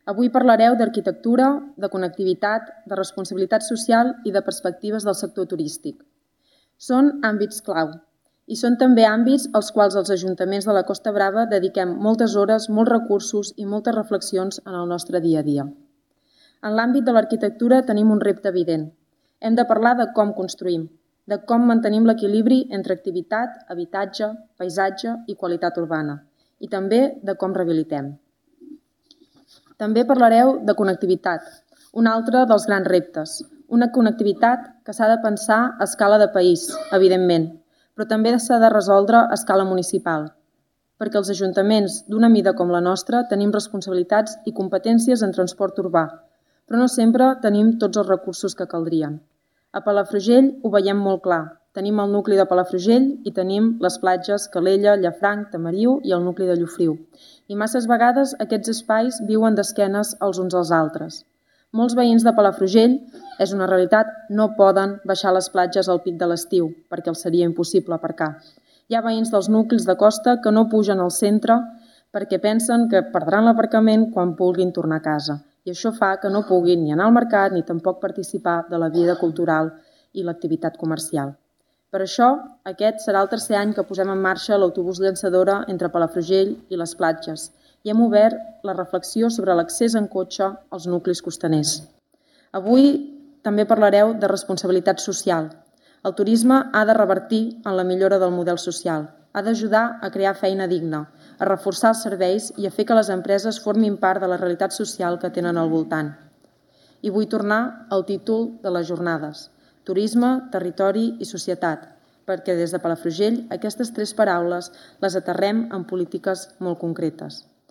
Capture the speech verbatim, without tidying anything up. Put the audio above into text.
Avui parlareu d'arquitectura, de connectivitat, de responsabilitat social i de perspectives del sector turístic. Són àmbits clau i són també àmbits als quals els ajuntaments de la Costa Brava dediquem moltes hores, molts recursos i moltes reflexions en el nostre dia a dia. En l'àmbit de l'arquitectura tenim un repte evident. Hem de parlar de com construïm, de com mantenim l'equilibri entre activitat, habitatge, paisatge i qualitat urbana, i també de com rehabilitem. També parlareu de connectivitat, un altre dels grans reptes. Una connectivitat que s'ha de pensar a escala de país, evidentment, però també s'ha de resoldre a escala municipal, perquè els ajuntaments d'una mida com la nostra tenim responsabilitats i competències en transport urbà, però no sempre tenim tots els recursos que caldrien. A Palafrugell ho veiem molt clar. Tenim el nucli de Palafrugell i tenim les platges Calella, Llafranc, Tamariu i el nucli de Llofriu. I masses vegades aquests espais viuen d'esquenes els uns als altres. Molts veïns de Palafrugell, és una realitat, no poden baixar les platges al pic de l'estiu, perquè els seria impossible aparcar. Hi ha veïns dels nuclis de costa que no pugen al centre perquè pensen que perdran l'aparcament quan vulguin tornar a casa. I això fa que no puguin ni anar al mercat ni tampoc participar de la vida cultural i l'activitat comercial. Per això, aquest serà el tercer any que posem en marxa l'autobús llançadora entre Palafrugell i les platges i hem obert la reflexió sobre l'accés en cotxe als nuclis costaners. Avui també parlareu de responsabilitat social. El turisme ha de revertir en la millora del model social, ha d'ajudar a crear feina digna, a reforçar els serveis i a fer que les empreses formin part de la realitat social que tenen al voltant. I vull tornar al títol de les jornades: turisme, territori i societat, perquè des de Palafrugell aquestes tres paraules les aterrem en polítiques molt concretes.